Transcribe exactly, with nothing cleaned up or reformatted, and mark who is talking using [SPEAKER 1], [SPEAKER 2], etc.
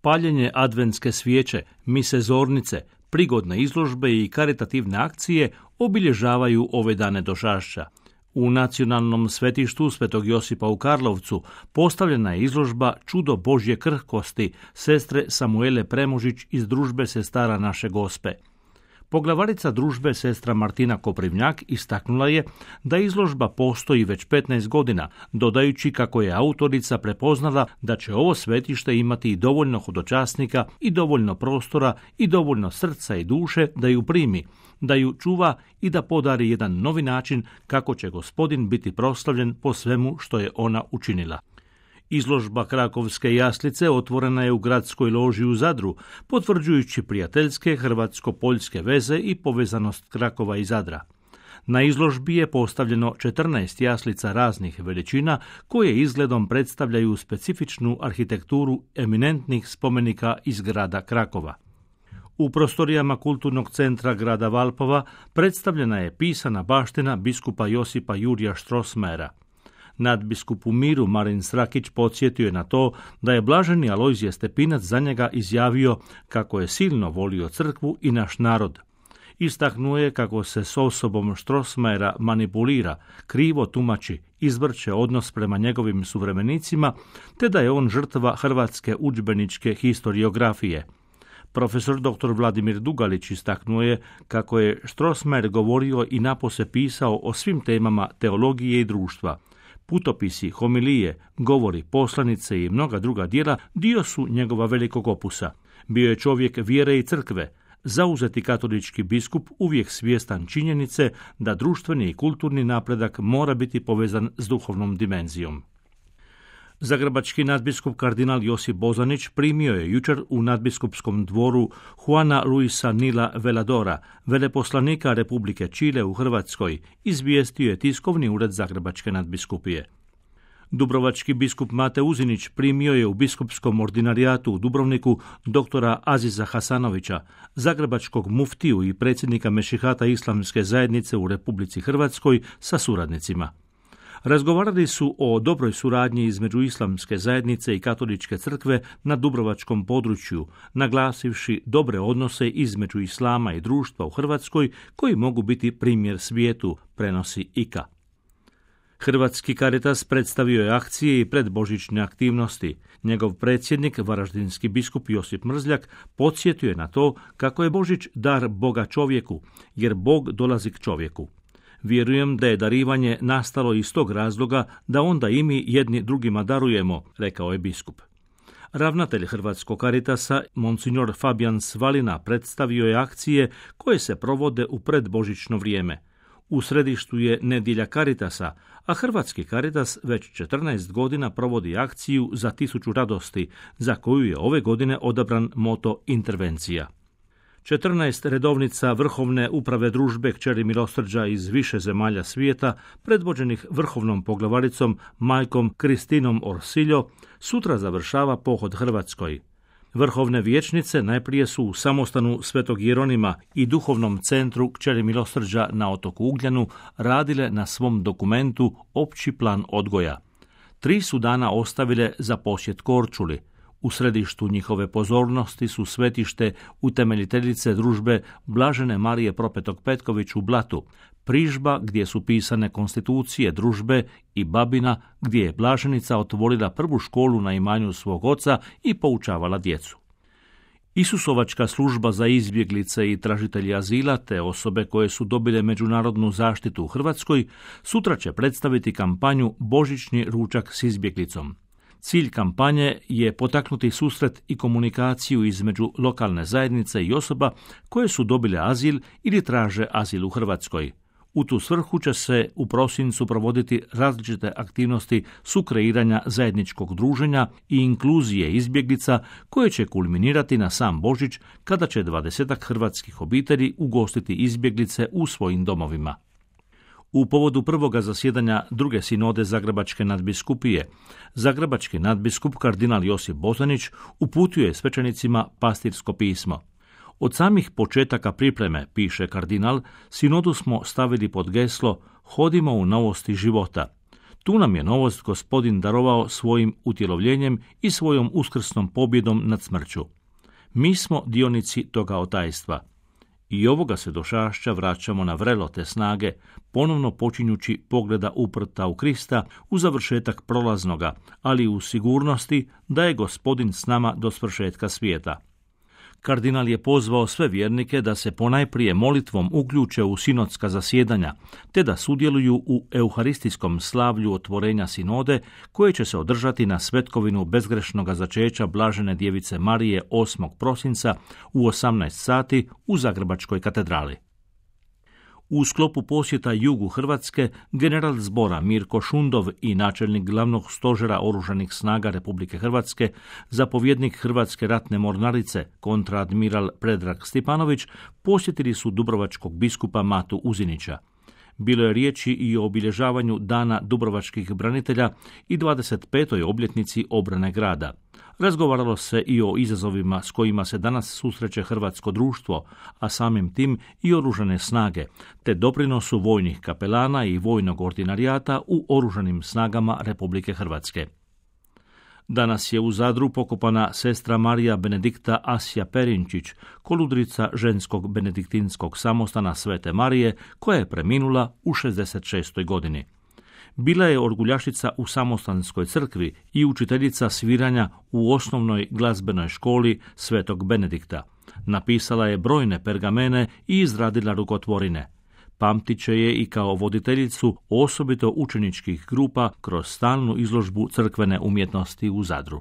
[SPEAKER 1] paljenje adventske svijeće, mise zornice, prigodne izložbe i karitativne akcije obilježavaju ove dane dožašća. U nacionalnom svetištu Svetog Josipa u Karlovcu postavljena je izložba Čudo Božje krhkosti sestre Samuele Premužić iz družbe Sestara Naše Gospe. Poglavarica družbe sestra Martina Koprivnjak istaknula je da izložba postoji već petnaest godina, dodajući kako je autorica prepoznala da će ovo svetište imati i dovoljno hodočasnika i dovoljno prostora i dovoljno srca i duše da ju primi, da ju čuva i da podari jedan novi način kako će Gospodin biti proslavljen po svemu što je ona učinila. Izložba Krakovske jaslice otvorena je u gradskoj loži u Zadru, potvrđujući prijateljske hrvatsko-poljske veze i povezanost Krakova i Zadra. Na izložbi je postavljeno četrnaest jaslica raznih veličina koje izgledom predstavljaju specifičnu arhitekturu eminentnih spomenika iz grada Krakova. U prostorijama kulturnog centra grada Valpova predstavljena je pisana baština biskupa Josipa Jurija Strossmayera. Nadbiskup u Miru Marin Srakić podsjetio je na to da je blaženi Alojzije Stepinac za njega izjavio kako je silno volio crkvu i naš narod. Istaknuo je kako se s osobom Strossmayera manipulira, krivo tumači, izvrće odnos prema njegovim suvremenicima, te da je on žrtva hrvatske udžbeničke historiografije. Profesor doktor Vladimir Dugalić istaknuo je kako je Strossmayer govorio i napose pisao o svim temama teologije i društva. Putopisi, homilije, govori, poslanice i mnoga druga djela dio su njegova velikog opusa. Bio je čovjek vjere i crkve, zauzeti katolički biskup uvijek svjestan činjenice da društveni i kulturni napredak mora biti povezan s duhovnom dimenzijom. Zagrebački nadbiskup kardinal Josip Bozanić primio je jučer u nadbiskupskom dvoru Juana Luisa Nila Veladora, veleposlanika Republike Čile u Hrvatskoj, izvijestio je tiskovni ured Zagrebačke nadbiskupije. Dubrovački biskup Mate Uzinić primio je u biskupskom ordinarijatu u Dubrovniku doktora Aziza Hasanovića, zagrebačkog muftiju i predsjednika Mešihata Islamske zajednice u Republici Hrvatskoj sa suradnicima. Razgovarali su o dobroj suradnji između Islamske zajednice i Katoličke crkve na dubrovačkom području, naglasivši dobre odnose između islama i društva u Hrvatskoj koji mogu biti primjer svijetu, prenosi I K A. Hrvatski Caritas predstavio je akcije i predbožićne aktivnosti. Njegov predsjednik, varaždinski biskup Josip Mrzljak, podsjetio je na to kako je Božić dar Boga čovjeku, jer Bog dolazi k čovjeku. Vjerujem da je darivanje nastalo iz tog razloga da onda i mi jedni drugima darujemo, rekao je biskup. Ravnatelj Hrvatskog Caritasa, monsignor Fabijan Svalina, predstavio je akcije koje se provode u predbožićno vrijeme. U središtu je nedjelja Caritasa, a Hrvatski Caritas već četrnaest godina provodi akciju za tisuću radosti, za koju je ove godine odabran moto intervencija. četrnaest redovnica Vrhovne uprave družbe Kćeri milosrđa iz više zemalja svijeta, predvođenih vrhovnom poglavaricom majkom Kristinom Orsiljo, sutra završava pohod Hrvatskoj. Vrhovne vijećnice najprije su u samostanu Svetog Jeronima i duhovnom centru Kćeri milosrđa na otoku Ugljanu radile na svom dokumentu Opći plan odgoja. Tri su dana ostavile za posjet Korčuli. U središtu njihove pozornosti su svetište utemeljiteljice družbe Blažene Marije Propetog Petković u Blatu, Prižba gdje su pisane konstitucije družbe i Babina gdje je Blaženica otvorila prvu školu na imanju svog oca i poučavala djecu. Isusovačka služba za izbjeglice i tražitelji azila te osobe koje su dobile međunarodnu zaštitu u Hrvatskoj sutra će predstaviti kampanju Božićni ručak s izbjeglicom. Cilj kampanje je potaknuti susret i komunikaciju između lokalne zajednice i osoba koje su dobile azil ili traže azil u Hrvatskoj. U tu svrhu će se u prosincu provoditi različite aktivnosti sukreiranja zajedničkog druženja i inkluzije izbjeglica koje će kulminirati na sam Božić kada će dvadesetak hrvatskih obitelji ugostiti izbjeglice u svojim domovima. U povodu prvoga zasjedanja druge sinode Zagrebačke nadbiskupije, Zagrebački nadbiskup kardinal Josip Bozanić uputio je svećenicima pastirsko pismo. Od samih početaka pripreme, piše kardinal, sinodu smo stavili pod geslo Hodimo u novosti života. Tu nam je novost Gospodin darovao svojim utjelovljenjem i svojom uskrsnom pobjedom nad smrću. Mi smo dionici toga otajstva. I ovoga se došašća vraćamo na vrelo te snage, ponovno počinjući pogleda uprta u Krista u završetak prolaznoga, ali u sigurnosti da je Gospodin s nama do svršetka svijeta. Kardinal je pozvao sve vjernike da se ponajprije molitvom uključe u sinodska zasjedanja, te da sudjeluju u euharistijskom slavlju otvorenja sinode, koje će se održati na svetkovinu bezgrešnoga začeća Blažene djevice Marije osmog prosinca u osamnaest sati u Zagrebačkoj katedrali. U sklopu posjeta jugu Hrvatske, general zbora Mirko Šundov i načelnik glavnog stožera Oružanih snaga Republike Hrvatske, zapovjednik Hrvatske ratne mornarice, kontraadmiral Predrag Stipanović, posjetili su dubrovačkog biskupa Matu Uzinića. Bilo je riječi i o obilježavanju Dana dubrovačkih branitelja i dvadeset petoj obljetnici obrane grada. Razgovaralo se i o izazovima s kojima se danas susreće hrvatsko društvo, a samim tim i oružane snage, te doprinosu vojnih kapelana i vojnog ordinarijata u oružanim snagama Republike Hrvatske. Danas je u Zadru pokopana sestra Marija Benedikta Asja Perinčić, koludrica ženskog benediktinskog samostana Svete Marije, koja je preminula u šezdeset šestoj godini. Bila je orguljašica u samostanskoj crkvi i učiteljica sviranja u osnovnoj glazbenoj školi Svetog Benedikta. Napisala je brojne pergamene i izradila rukotvorine. Pamtit će je i kao voditeljicu osobito učeničkih grupa kroz stalnu izložbu crkvene umjetnosti u Zadru.